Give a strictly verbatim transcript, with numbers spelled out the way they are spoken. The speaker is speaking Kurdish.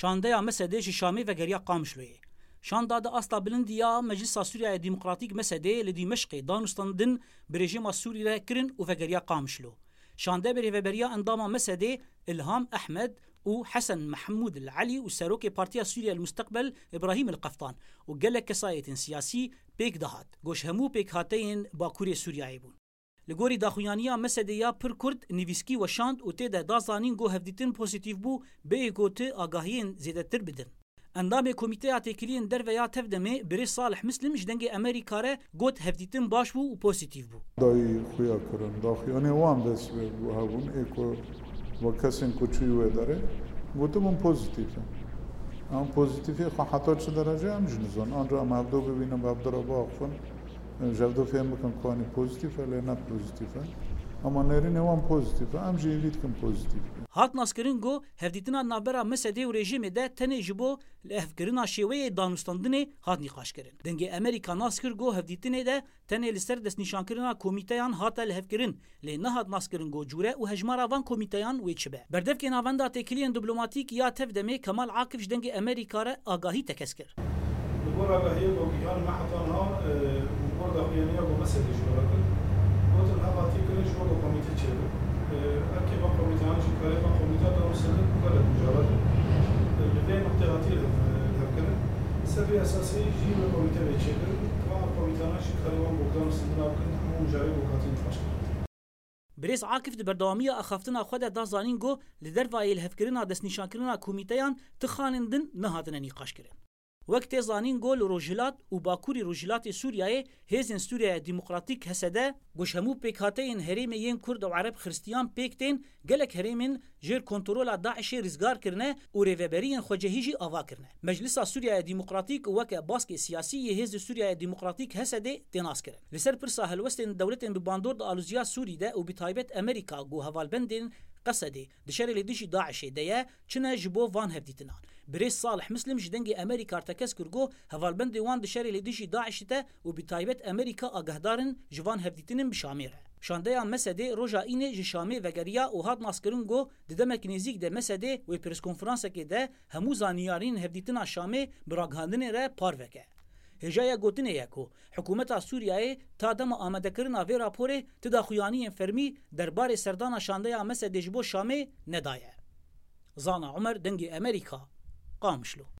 Şandeya Mesedê ji Şamê vegeriya Qamişloyê. Şanda di asta bilindî ya Meclisa Sûriyaya Demokratîk, Mesedê, li Dîmeşqê danûstandin bi rejîma Sûrî re kirin û vegeriya Qamişlo. Şande bi rêveberiya endama Mesedê Ilham Ehmed û Hesen Mehmûd El Elî û serokê Partiya Sûriye El Musteqbel Îbrahîm El Qeftan û gelek kesayetên siyasî pêk dihat. Goş hemû pêkhateyên Bakurê Sûriyeyê bûn. Li gorî daxuyaniya Mesedê ya pir kurt, nivîskî weşand û tê de da zanîn ku hevdîtin pozîtîf bû, bêyî ku ti agahiyên zêdetir bidin. Endamê Komîteya Têkiliyên Derve ya Tevdemê, birêz Salih Mislim ji Dengê Amerîka re got, hevdîtin baş bû û pozîtîf bû. Dayî xuya kirin, daxuyanê wan dest pê hebûn, ê ku ve kesên ku çûyî wê derê, gotibûn pozîtîf e. Em pozîtîfê xwe heta çi derece em jî nizan. An re em hevdo bibînin, bi hevdo re biaxivin. Ji hevdo fêm bikin ku anî pozîtîf e, lê ne pozîtîf e. Ama nêrînê wan pozîtîf e. Em jî hêvî dikin pozîtîf be. Hat naskirin ku hevdîtina navbera Mesedê û rejîmê de tenê ji bo lihevkirina şêweyê danûstandinê hat nîqaşkirin. Dengê Amerîka nas kir ku hevdîtinê de tenê li ser destnîşankirina komîteyan hate lihevkirin, lê nehat naskirin ku cûre û hejmara van komîteyan wê çi be. Berdevkê Navenda Têkiliyên Diplomatîk ya Tevdemê Kemal Akif ji Dengê Amerîka re agahî tekez kir. Li gor agahiyê ku gihan me heta niha, e, û li gor daxuyaniya ku Mesedê ji we re kir, gotin ev hatiye kirin ji bo ku komîte çêbin. E, erkê van komîteyan jî karê van komîte danûstandin gelek micalet e, li vê nuqtê hatiye hev-, e, hevkirin. Ser vê esasî jî wê komîte bê çêkirin. Van komîteyana jî karê wan ku danûstandina bikin, hemû mijarê ku hatî nîqaşkirin. Birêz Akif di berdewamiya axaftina xwe de da zanîn ku li dervayê lihevkirina destnîşankirina komîteyan ti xalên din nehatine nîqaşkirin. Wek tê zanîn ku li Rojhilat û Bakurî Rojhilatê Sûriyeyê hêzên Sûriyeya Demokratîk, H S D, ku ji hemû pêkhateyên herêmê yên Kurd û Ereb Xiristiyan pêk tên, gelek herêmên jêr kontrola DAIŞê rizgar kirine û rêveberiyên xwecihî jî ava kirine. Meclisa Sûriyaya Demokratîk û weke baskê siyasî yê Hêzê Sûriyaya Demokratîk, H S D, tê naskirin. Li ser pirsa helwestên dewletên bi bandor di aloziya Sûrî de û bi taybet Amerîka ku hevalbendên Qesedê di şerê li dijî DAIŞê de ye, çi ne ji bo van hevdîtinan. Birêz Salih Mislim ji Dengê Amerîka re tekez kir ku hevalbendê wan di şerê li dijî DAIŞê de û bi taybet Amerîka agahdar in ji van hevdîtinên bi Şamê re. Şandeya Mesedê roja Înê ji Şamê vegeriya û hat naskirin ku di demek nêzîk de Mesedê wê preskonferansekê de hemû zanyariyên hevdîtina Şamê bi ragihandinê re parve ke. Hêjaya gotinê ye ku hikûmeta Sûriyeyê ta dema amadekirina vê raporê ti daxuyaniyên fermî derbarê serdana şandeya Mesedê ji bo Şamê nedaye. Zana Umer, Dengê Amerîka, Qamişlo.